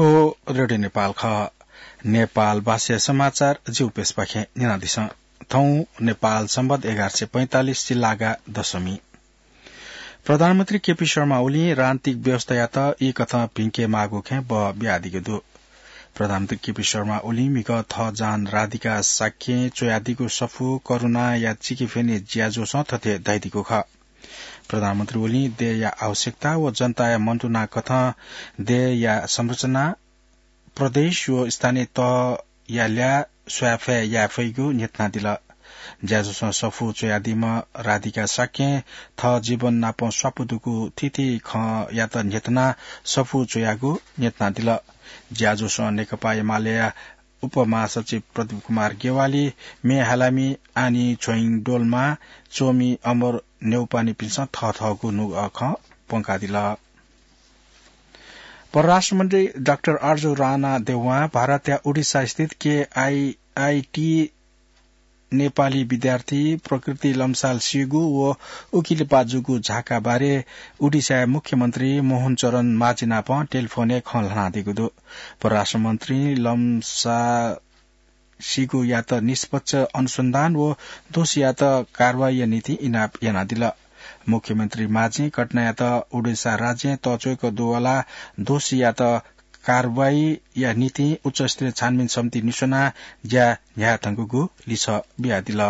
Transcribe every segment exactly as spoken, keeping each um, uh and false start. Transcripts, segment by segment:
ओ रेडियो नेपाल खः। नेपाल भाषा समाचार जिगु पेजपाखें न्यनादिसँ। थौं नेपाल सम्बत एघार सय पैंतालिस जिल्लागा दशमी। प्रधानमन्त्री केपी शर्मा ओलीं राजनीतिक व्यवस्थायात ई कथं भिंके माःगु खँय् बः बियादीगु दु। प्रधानमन्त्री केपी शर्मा ओलीं म्हिगः थः जहान राधिका शाक्यं च्वयादीगु सफू करुणाया चिकिफ्यनी ज्याझ्वलय् थथे धयादीगु खः। प्रधानमन्त्री ओलीं देय्‌या आवश्यकता व जनताया मन्तुना कथं देय्‌या संरचना, प्रदेश व स्थानीय तहया ल्याः स्वायेफाये याये फइगु न्ह्यथनादिल। ज्याझ्वलय् सफू च्वयादीम्ह राधिका शाक्यं थः जीवन नाप स्वापू दुगु थीथी खँयात न्ह्यथनाः सफू च्वयागु न्ह्यथनादिल। ज्याझ्वलय् नेकपा एमालेया उपमहासचिव प्रदीप कुमार गेवाली, मे हालामि, आनी छोइङ डोल्मा, चोमि अमर न्यौपानिपिन्सं थःथःगु नुगः खँ प्वंकादिल। परराष्ट्र मन्त्री डाक्टर आर्जु राणा देउवां भारतया उडिसा स्थित केआइआइटी नेपाली विद्यार्थी प्रकृति लम्साल सीगु व उकिलिपा जूगु झाका बारे उडिसाया मुख्यमन्त्री मोहन चरण माझी नाप टेलिफोनय् खँ ल्हानादीगु दु। परराष्ट्र मन्त्री लम्साल सीगुयात निष्पक्ष अनुसन्धान व दोषीयात कारवाहीया निंतिं इनाप यानादिल। मुख्यमन्त्री माझीं घटनायात उडिसा राज्यं तःच्वय्‌क दुवलाः दोषीयात कारवाहीया निंतिं उच्चस्तरीय छानबिन समिति निस्वनाः ज्या न्ह्याये धुंकूगु लिसः बियादिल।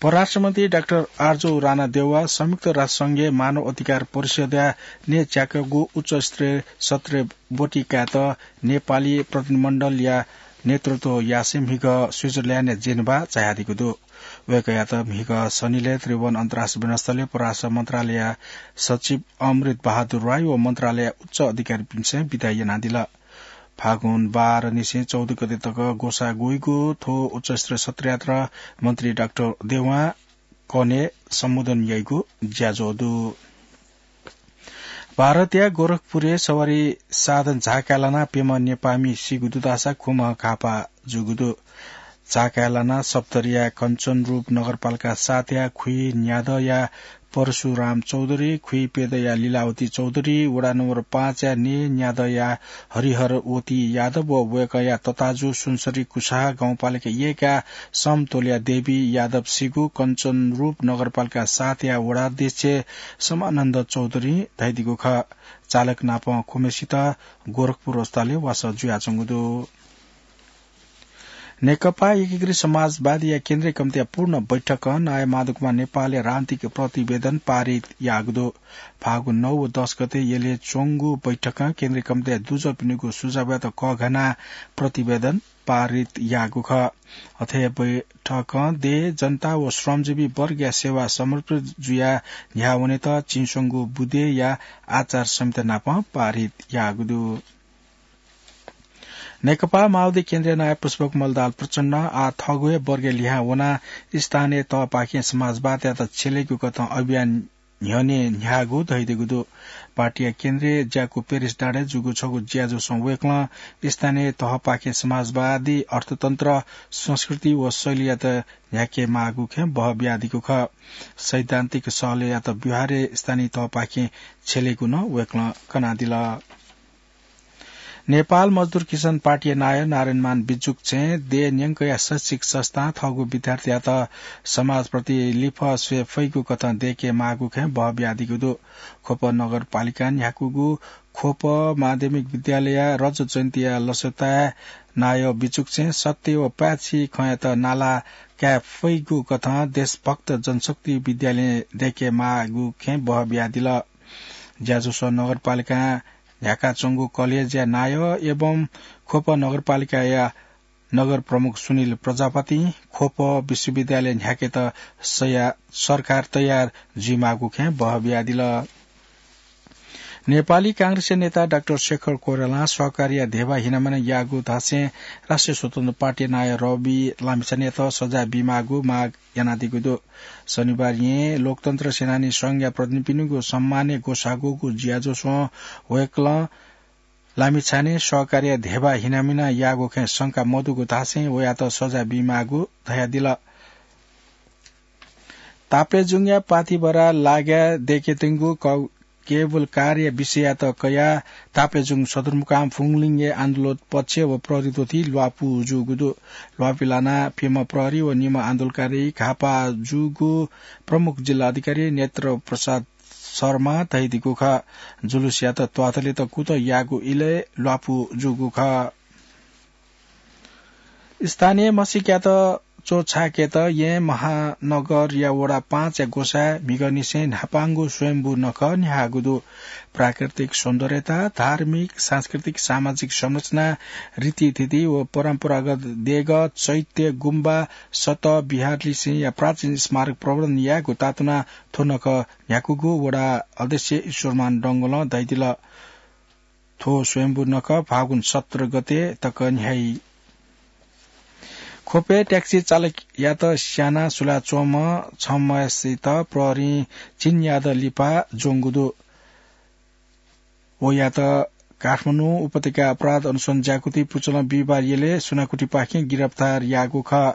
परराष्ट्र मन्त्री डाक्टर आर्जु राणा देउवा संयुक्त राष्ट्र संघया मानव अधिकार परिषदया न्यय्‌च्याकःगु उच्चस्तरीय सत्रय् ब्वति कायेत नेपाली प्रतिनिधिमण्डलया नेतृत्व यासें म्हिगः स्विजरल्याण्डया जेनेभा झायादीगु दु। वय्‌कःयात म्हिगः शनिलय् त्रिभुवन अन्तर्राष्ट्रिय विमानस्थलय् परराष्ट्र मन्त्रालयया सचिव अमृत बहादुर राई व मन्त्रालयया उच्च अधिकारीपिन्सं बिदा यानादिल। फागुन बाह्र निसें चौध गते तक ग्वसाः ग्वइगु थ्व उच्चस्तरीय सत्रयात मन्त्री डाक्टर देउवां कन्हय् सम्बोधन याइगु ज्याझ्वः दु। भारतया गोरखपुरय् सवारी साधन झाकाय् लानाः प्यम्ह नेपाःमि सीगु दु धाःसा खुम्ह घाःपाः जूगु दु। झाकाय् लानाः सप्तरीया कञ्चनरूप नगरपालिका सातया खुइन्यादँया परशुराम चौधरी, खुइप्यदँया लीलावती चौधरी, वडा नम्बर पाँचया नेन्यादँया हरिहरवती यादव व वय्‌कःया तताजु सुनसरी कुसाहा गाउँपालिका एकया समतोलया देवी यादव सीगु कञ्चनरूप नगरपालिका सातया वडा अध्यक्ष समानन्द चौधरीं धयादीगु खः। चालक नाप खुम्हेसित गोरखपुर अस्पतालय् वासः जुयाच्वंगु दु। नेकपा एकीकृत समाजवादीया केन्द्रीय कमिटीया पूर्ण बैठकं नायः माधवकुमार नेपालया राजनीतिक प्रतिवेदन पारित याःगु दु। फागुन नौ व दस गते यलय् च्वंगु बैठकं केन्द्रीय कमिटीया दुजःपिनिगु सुझावयात कःघानाः प्रतिवेदन पारित याःगु खः। अथे हे बैठकं देय्, जनता व श्रमजीवी वर्गया सेवा समर्पित जुयाः न्ह्यावनेत चिंस्वंगु बुँदेया आचार संहिता नाप पारित याःगु दु। नेकपा माओवादी केन्द्रीय नायः पुष्पकमल दाहाल प्रचण्ड आः थःगु हे वर्गय् लिहां वनाः स्थानीय तहपाखें समाजवादयात छ्यलेगु कथं अभियान न्ह्यःने न्ह्याःगु धयादीगु दु। पार्टीया केन्द्रीय ज्याकू पेरिस डाँडाय् जूगु छगू ज्याझ्वलय् वय्‌कलं स्थानीय तहपाखें समाजवादी अर्थतन्त्र, संस्कृति व शैलीयात न्ह्याके माःगु खँय् बह बियादीगु खः। सैद्धान्तिक सहलयात व्यवहारय् स्थानीय तहपाखें छ्यलेगु नं वय्‌कलं कनादिल। नेपाल मजदुर किसान पार्टीया नायः नारायणमान बिजुक्छें देय् न्यंकया शैक्षिक संस्थां थःगु विद्यार्थीयात समाजप्रति लिफः स्वये फइगु कथं दय्‌के माःगु खँय् बह बियादीगु दु। ख्वप नगरपालिकां न्ह्याकूगु ख्वप माध्यमिक विद्यालयया रजत जयन्तीया लसताय् नायः बिजुक्छें सत्य व पाय्‌छि खँयात नाला काये फइगु कथं देशभक्त जनशक्ति विद्यालयं दय्‌के माःगु खँय् बह बियादिल। ज्याझ्वलय् नगरपालिकां न्ह्याकाच्वंगु कलेजया नायः एवं ख्वप नगरपालिकाया नगर प्रमुख सुनिल प्रजापतिं ख्वप विश्वविद्यालय न्ह्याकेत सया-, सरकार तयार जुइमाःगु खँय् बह बियादिल। नेपाली कांग्रेसया नेता डाक्टर शेखर कोइरालां सहकारीया धेबा हिनामिना याःगु धासें राष्ट्रिय स्वतन्त्र पार्टीया नायः रवि लामिछानेयात सजाय बीमाःगु माग यानादीगु दु। शनिबार येँ लोकतन्त्र सेनानी संघया प्रतिनिधिपिनिगु सम्मानय् ग्वसाः ग्वःगु ज्याझ्वलय् वय्‌कलं लामिछाने सहकारीया धेबा हिनामिना याःगु खँय् शंका मदुगु धासें वयात सजाय बीमाःगु धयादिल। ताप्लेजुङया पाथिभरा लागाय् दय्‌केत्यंगु क-, केबल कारया विषययात कयाः ताप्लेजुङ सदरमुकाम फुङलिङय् आन्दोलन पक्ष व प्रहरी द्वथी ल्वापु जूगु दु। ल्वापु लानाः प्यम्ह प्रहरी व निम्ह आन्दोलनकारी घाःपाः जूगु प्रमुख जिल्ला अधिकारी नेत्र प्रसाद शर्मा धयादीगु खः। जुलुसयात त्वाथलेत कुतः याःगु इलय् ल्वापु जूगु खः। स्थानीय म्हसीकात च्वछाकेत येँ महानगरया वडा पाँचया ग्वसाय् म्हिगःनिसें न्हापांगु स्वयम्भू नखः न्ह्याःगु दु। प्राकृतिक सौन्दर्यता, धार्मिक, सांस्कृतिक, सामाजिक संरचना, रीतिथिति व परम्परागत देगः, चैत्य, गुम्बा, सत, विहारलिसेंया प्राचीन स्मारक प्रवर्धन यायेगु तातुनाः थ्व नखः न्ह्याकूगु वडा अध्यक्ष ईश्वरमान डंगोलं धयादिल। थ्व स्वयम्भू नखः फागुन सत्र गते तक न्ह्याइ। ख्वपय् ट्याक्सी चालकयात स्यानाः सुलाच्वंम्ह छम्हसित प्रहरीं झिंन्यादँ लिपा ज्वंगु दु। वयात काठमाडौं उपत्यका अपराध अनुसन्धान ज्याकुथि पुचलं बिहिबार यलय् सुनाकुथिपाखें गिरफ्तार याःगु खः।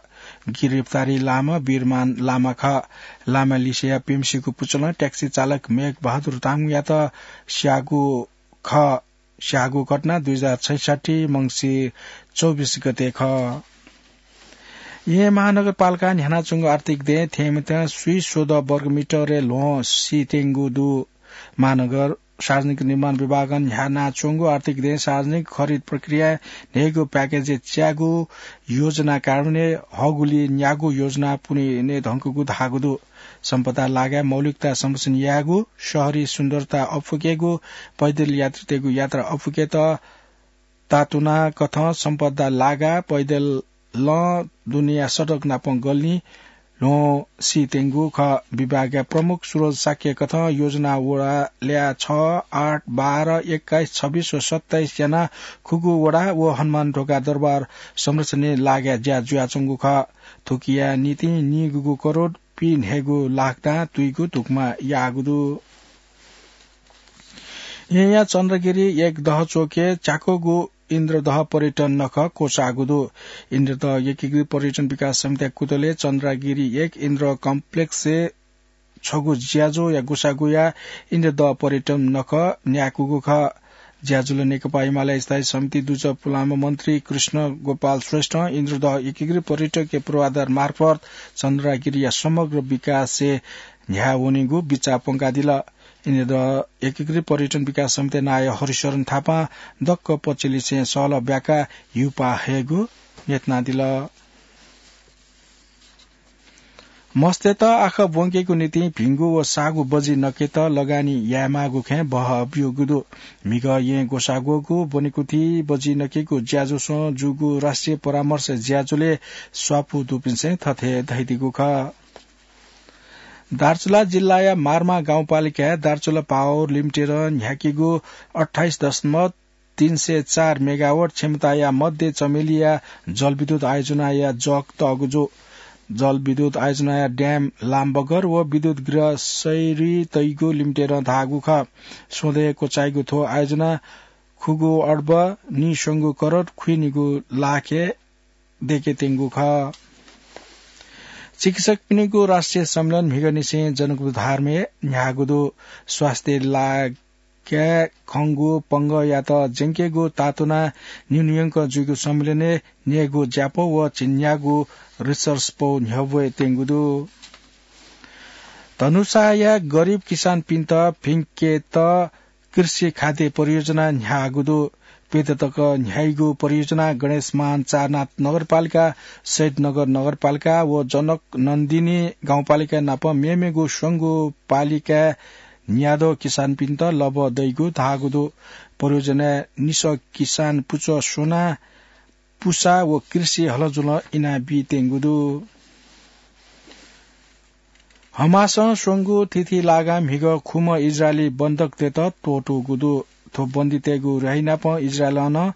गिरफ्तारी लाःम्ह वीरमान लामा खः। लामा लिसेया प्यम्हसिगु पुचलं ट्याक्सी चालक मेघ बहादुर तामाङयात स्याःगु खः। स्याःगु घटना दुई हजार छैसट्ठी मंसिर चौबिस गते खः। येँ महानगरपालिकां न्ह्यानाच्वंगु आर्थिक दँय् थेंमित स्वीस्वदँ वर्गमिटरय् ल्वहं सीत्यंगु दु। महानगर सार्वजनिक निर्माण विभागं न्ह्यानाच्वंगु आर्थिक दँय् सार्वजनिक खरिद प्रक्रियाय् न्हय्गू प्याकेजय् च्याःगु योजना कार्यान्वयन हःगुलिं न्यागू योजना पूवने धुंकूगु धाःगु दु। सम्पदा लागाय् मौलिकता संरक्षण यायेगु, शहरी सुन्दरता अप्वयेकेगु, पैदल यात्रीतय्गु यात्रा अप्वयेकेत तातुनाकथं सम्पदा लागाः पैदलं दुनेया सडक नापं गल्लिं ल्वहं सीत्यंगु खः। विभागया प्रमुख सुरज शाक्यकथं योजना वडाल्या छ, आठ, बाह्र, एक्काइस, छब्बिस व सत्ताइस यानाः खुगू वडा व हनुमान ढोका दरबार संरक्षणय् लागाय् ज्या जुयाच्वंगु खः। थुकिया निंतिं निगूगु करोड पीन्हय्गू लाख दां तुइगु धुकुमा याःगु दु। येँया चन्द्रगिरी एक दह च्वकय् च्याक्वःगु इन्द्रदह पर्यटन नखः क्वचाःगु दु। इन्द्रदह एकीकृत पर्यटन विकास समितिया कुतलय् चन्द्रगिरी एक इन्द्र कम्प्लेक्सय् छगू ज्याझ्वःया गुसागुया इन्द्रदह पर्यटन नखः न्याकूगु खः। ज्याझ्वलय् नेकपा एमाले स्थायी समिति दुजः पुलांम्ह मन्त्री कृष्ण गोपाल श्रेष्ठं इन्द्रदह एकीकृत पर्यटकीय पूर्वाधार मार्फत चन्द्रगिरीया समग्र विकासय् न्ह्याः वनेगु बिचाः प्वंकादिल। इन्द्रदह एकीकृत पर्यटन विकास समितिया नायः हरिशरण थापां दक्व पक्षलिसें सहलह ब्याकाः हिउपाः हयेगु न्ह्यथनादिल। मस्तय्त आखः ब्वंकेगु निंतिं भिंगु व साःगु बजि नकेत लगानी यायेमाःगु खँय् बहः ब्यूगु दु। म्हिगः येँ ग्वसाः ग्वःगु ब्वनेकुथि बजि नकेगु ज्याझ्वलय् जूगु राष्ट्रिय परामर्श ज्याझ्वलय् स्वापू दुपिन्सं थथे धयादीगु खः। दार्चुला जिल्लाया मार्मा गाउँपालिकाय् दार्चुला पावर लिमिटेडं न्ह्याकीगु अट्ठाइस दशमलव तीन सय चार मेगावाट क्षमताया मध्ये चमेलिया जलविद्युत आयोजनाया जक तःगु जू। जलविद्युत आयोजनाया ड्याम लामबगर व विद्युत गृह सय्री तइगु लिमिटेडं धाःगु खः। स्वदँय् क्वचाइगु थ्व आयोजना खुगू अर्ब निस्वंगू करोड खुइनिगू लाखय् दयेकेत्यंगु खः। चिकित्सकपिनिगु राष्ट्रिय सम्मेलन म्हिगःनिसें जनकपुर धारमय् न्ह्याःगु दु। स्वास्थ्य लागाय् खंगु पंगःयात ज्यंकेगु तातुनाः न्यूनयंक जुइगु सम्मेलनय् न्ययेगु ज्यापौ व झिंन्यागू research पौ न्ह्यब्वयेत्यंगु दु। धनुषाया गरिब किसानपिन्त भिंकेत कृषि खाद्य परियोजना न्ह्याःगु दु। प्यदँ तक न्ह्याइगु परियोजना गणेशमान चारनाथ नगरपालिका, शहीदनगर नगरपालिका व जनक नन्दिनी गाउँपालिका नाप मेमेगु स्वंगू पालिकाय् न्याद्वः किसानपिन्त लभ्व दइगु धाःगु दु। परियोजनाय् निसः किसान पुचः स्वनाः पुसा व कृषि हलजुलं इनाबीत्यंगु दु। हमासं स्वंगु थीथी लागां म्हिगः खुम्ह इजरायली बन्धकतय्त त्वःतूगु दु। थ्व बन्दीतय्गु र्‍याहीनापं इजरायलं नं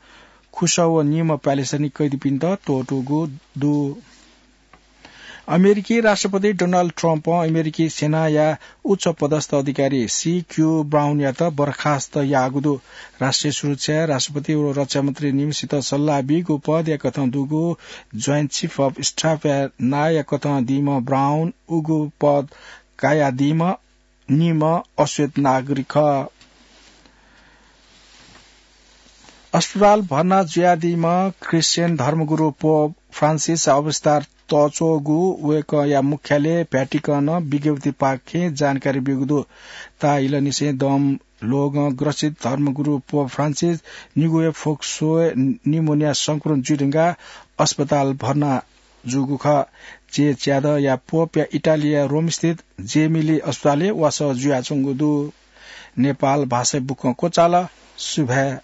खुसः व निम्ह प्यालेस्टाइनी कैदीपिन्त त्वःतूगु दु। अमेरिकी राष्ट्रपति डोनाल्ड ट्रम्पं अमेरिकी सेनाया उच्च पदस्थ अधिकारी सी क्यू ब्राउनयात बर्खास्त याःगु दु। राष्ट्रिय सुरक्षाय् राष्ट्रपति व रक्षामन्त्री निम्हसित सल्लाह बीगु पदया कथं दुगु Joint Chief of Staff या नांया कथं दीम्ह ब्राउन उगु पद कायादीम्ह निम्ह अश्वेत नागरिक खः। अस्पताल भर्ना जुयादीम्ह क्रिश्चियन धर्मगुरु पोप फ्रान्सिस अवस्था तःच्वःगु वय्कःया मुख्यालय भ्याटिकनं विज्ञप्तिपाखें जानकारी ब्यूगु दु। ताःहिलनिसें दम ल्वहंग्रसित धर्मगुरु पोप फ्रान्सिस निगू हे फोक्सो निमोनिया संक्रमण जुइधुंकाः अस्पताल भर्ना जूगु खः। चेचादया पोपया इटालीया रोमस्थित जेमिली अस्पतालय् वासः जुयाच्वंगु दु। नेपाल भाषाय् बुकं क्वचाल। सुभाय्।